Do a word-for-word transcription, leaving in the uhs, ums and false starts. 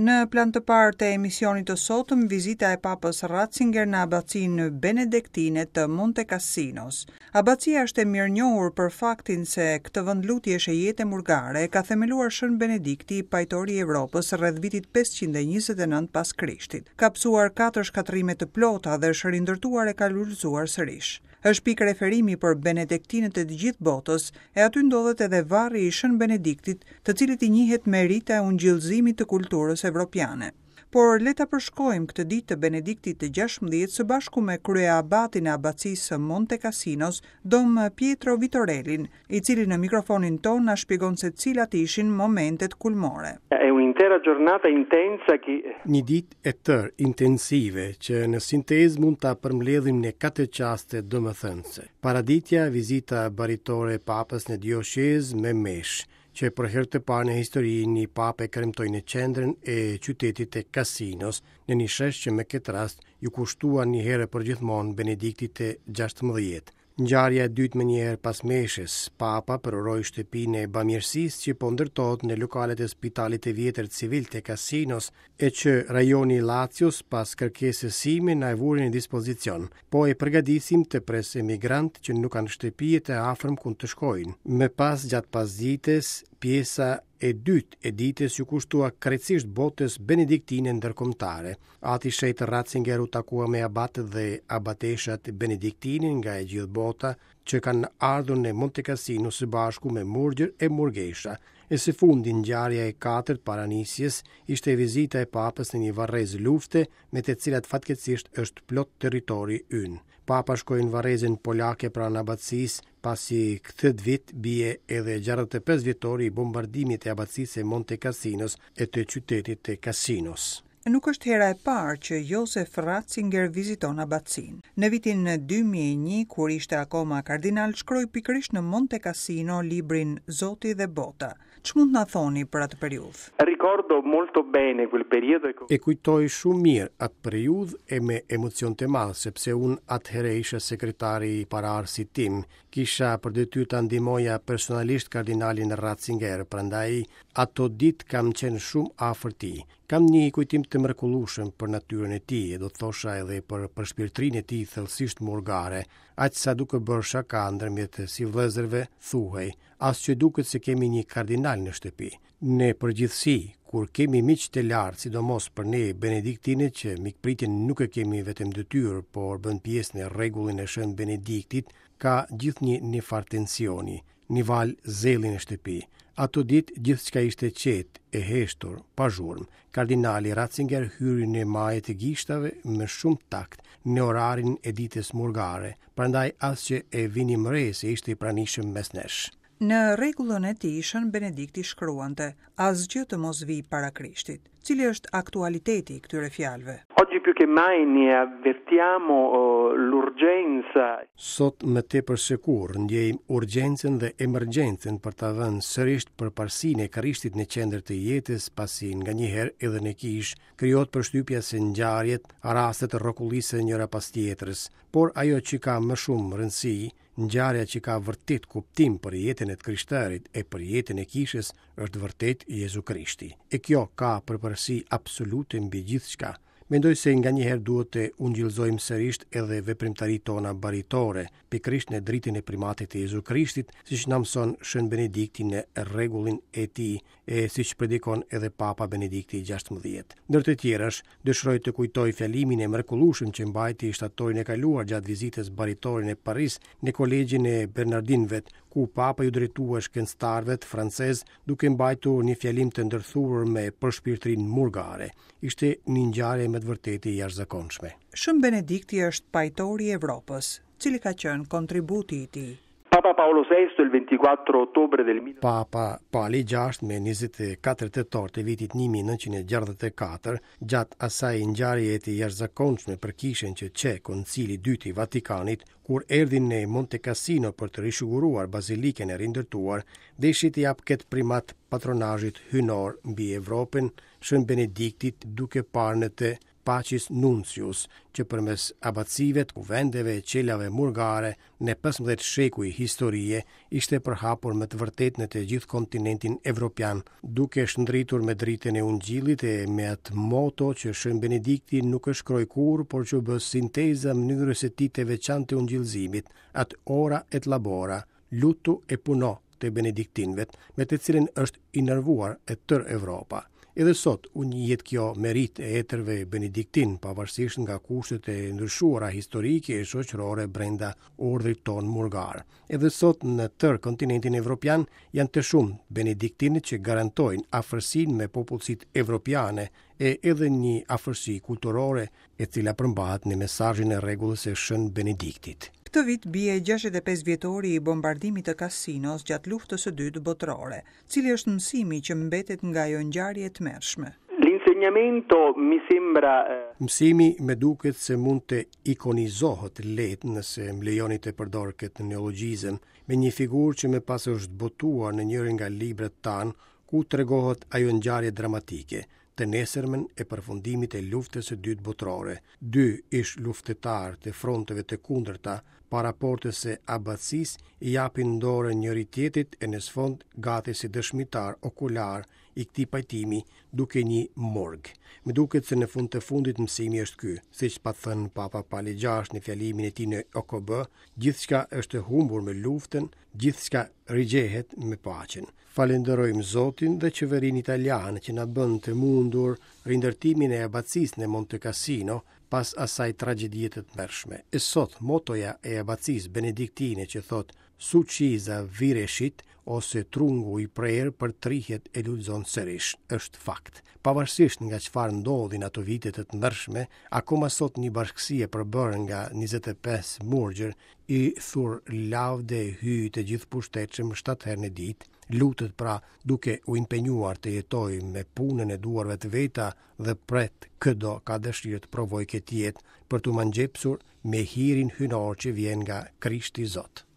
Në plan të parë të emisionit të sotëm, vizita e Papës Ratzinger në abacinë Benediktine të Monte Cassinos. Abacia është e mirënjohur për faktin se këtë vend lutjesh e jete murgare e ka themeluar Shën Benedikti, pajtori i Evropës rreth vitit pesëqind e njëzet e nëntë pas Krishtit. Ka pësuar katër shkatërrime të plota dhe është rindërtuar e ka lulëzuar sërish. Është pikë referimi për benediktinët e të gjithë botës, e aty ndodhet edhe varri i Shën Benediktit, të cilit i njihet merita e ungjillëzimit të kulturës evropiane. Por le ta përshkojmë këtë ditë të Benediktit të gjashtëmbëdhjetë së bashku me kryeabatin e abacisë së Monte Cassinos, Dom Pietro Vitorellin, i cili në mikrofonin ton na shpjegon se cilat ishin momentet kulmore. È un'intera giornata intensa che Një ditë e tërë intensive që në sintezë mund ta përmbledhim në katër çaste domethënëse. Paraditja, vizita baritore e Papës në dioqezë me meshë, që për herë të parë në histori një papë e kremtoi në qendrën e qytetit të Cassinos, në një shesh që me këtë rast ju kushtua një herë përgjithmonë Benediktit të gjashtëmbëdhjetë. Ngjarja e dytë më njëherë pas meshës, Papa përuroi shtëpinë e bamirësisë që po ndërtohet në lokalet e spitalit të vjetër civil të Cassinos, e që rajoni i Lazios pas kërkesës sime na e vuri në dispozicion. Po e përgatisim të pres emigrant që nuk kanë shtëpi të afërm ku të shkojnë. Më pas gjatë pasdites, pjesa e dytë e ditës ju kushtua krejtësisht botës benediktine ndërkombëtare. Ati Shenjt Ratzinger u takua me abatët dhe abateshat benediktine nga e gjithë bota që kanë ardhur në Monte Cassino së bashku me murgjër e murgesha. E së fundi, ngjarja e katërt para nisjes ishte vizita e Papës në një varrez lufte me të cilat fatkeqësisht është plot territori ynë. Papa shkoi në varrezën polake pranë abacisë, pasi këtë vit bie edhe gjashtëdhjetë e pesë vjetori i bombardimit të abacisë së Monte Cassinos e të qytetit të Cassinos. Nuk është hera e parë që Josef Ratzinger viziton abacinë. Në vitin dy mijë e një, kur ishte akoma kardinal, shkroi pikërisht në Monte Cassino librin Zoti dhe Bota. Ç'mund na thoni për atë periudhë? Ricordo molto bene quel periodo e E kujtoj shumë mirë atë periudhë e me emocion të madh, sepse unë atëherë isha sekretari i pararësit tim. Kisha për detyrë ta ndihmoja personalisht kardinalin Ratzinger, prandaj ato ditë kam qenë shumë afër tij. Kam një kujtim të mrekullueshëm për natyrën e tij, e do të thosha edhe për përshpirtërinë e tij thellësisht murgare, aq sa duke bërë shaka ndërmjet si vëllezërve thuhej, as që duket se kemi një kardinal në shtëpi. Në përgjithësi, kur kemi miq të lartë, sidomos për ne benediktinët që mikpritjen nuk e kemi vetëm detyrë, por bën pjesë në rregullin e Shën Benediktit, ka gjithnjë një farë tensioni, një valë zelli në shtëpi. Ato ditë gjithçka ishte qetë, e heshtur, pa zhurmë. Kardinali Ratzinger hyri në maje të gishtave me shumë takt në orarin e ditës murgare, prandaj as që e vinim re se ishte i pranishëm mes nesh. Në rregullën e tij, Shën Benedikti shkruante, asgjë të mos vi para Krishtit. Cili është aktualiteti i këtyre fjalëve? Oggi più che mai ne avvertiamo, eh, l'urgenza. Sot më tepër se kurrë ndjejmë urgjencën dhe emergjencën për ta vënë sërish përparësinë e Krishtit në qendër të jetës, pasi nganjëherë edhe në kishë krijohet përshtypja se ngjarjet, rastet rrokullisen njëra pas tjetrës, por ajo që ka më shumë rëndësi, ngjarja që ka vërtet kuptim për jetën e të krishterit e për jetën e kishës, është vërtet Jezu Krishti. E kjo ka përparësi absolute mbi gjithçka. Mendoj se nganjëherë duhet të ungjillzojmë sërish edhe veprimtaritë tona baritore, pikërisht në dritën e primatit të Jezu Krishtit, siç na mëson Shën Benedikti në rregullin e tij, e siç predikon edhe Papa Benedikti i gjashtëmbëdhjetë. Ndër të tjerash, dëshiroj të kujtoj fjalimin e mrekullueshëm që mbajti shtatorin e kaluar gjatë vizitës baritore në Paris në kolegjin e Bernardinëve, ku Papa ju drejtua shkencëtarëve francez duke mbajtur një fjalim të ndërthurur me përshpirtërinë murgare. Ishte një ngjarje me të vërtetë e jashtëzakonshme. Shën Benedikti është pajtori i Evropës. Cili ka qenë kontributi i tij? Papa Paolo sesto il ventiquattro ottobre del mille Papa Pali gjashtë me njëzet e katër tetor të vitit një mijë e nëntëqind e gjashtëdhjetë e katër, gjatë asaj ngjarjeje të jashtëzakonshme për kishën që qe Koncili i dytë i Vatikanit, kur erdhi në Monte Cassino për të risiguruar bazilikën e rindërtuar, deshi të jap këtë primat patronazhit hynor mbi Evropën, Shën Benediktit, duke parë në të Pacis Nuncius, që përmes abacive, kuvendeve e qelave murgare në pesëmbëdhjetë shekuj historie ishte përhapur me të vërtetë në të gjithë kontinentin evropian, duke shndritur me dritën e ungjillit e me atë moto që Shën Benedikti nuk e shkroi kurrë, por që u bë sinteza mënyrës së tij të veçantë të ungjillzimit, atë ora et labora, lutu e puno të benediktinëve, me të cilën është innervuar e tërë Evropa. Edhe sot u njihet kjo meritë e etërve benediktin, pavarësisht nga kushtet e ndryshuara historike e shoqërore brenda urdhrit ton murgar. Edhe sot në tërë kontinentin evropian janë të shumë benediktinët që garantojnë afërsinë me popullsitë evropiane e edhe një afërsi kulturore e cila përmbahet në mesazhin e rregullës së Shën Benediktit. Këtë vit bie gjashtëdhjetë e pesë vjetori i bombardimit të Cassinos gjatë luftës së dytë botërore. Cili është mësimi që mbetet nga ajo ngjarje e tmerrshme? L'insegnamento mi sembra, eh, Mësimi më duket se mund të ikonizohet lehtë, nëse më lejoni të përdor këtë neologjizëm, me një figurë që më pas është botuar në njërin nga librat tanë, ku tregohet ajo ngjarje dramatike, të nesërmen e përfundimit e luftës së dytë botërore. Dy ish luftëtarë të fronteve të kundërta para portës së abacisë i japin dorën njëri tjetrit e në sfond gati si dëshmitar okular i këtij pajtimi duke një morg. Më duket se në fund të fundit mësimi është ky, siç pat thënë Papa Pali gjashtë në fjalimin e tij në O K B, gjithçka është e humbur me luftën, gjithçka rigjehet me paqen. Falenderojmë Zotin dhe qeverinë italiane që na bën të mundur rindërtimin e abacisë në Monte Cassino pas asaj tragjedie të tmerrshme. E sot motoja e abacisë benediktine që thot Succisa virescit ose trungu i prerë për trihet e lulëzon sërish, është fakt. Pavarësisht nga çfarë ndodhi në ato vite të tmerrshme, akoma sot një bashkësi e përbërë nga njëzet e pesë murgjër i thur lavde hyj të gjithë pushtetshëm shtatë herë në ditë, lutet pra duke u impenjuar të jetojë me punën e duarve të veta dhe pret këdo ka dëshirë të provojë këtë jetë për t'u mangjepsur me hirin hynor që vjen nga Krishti Zot.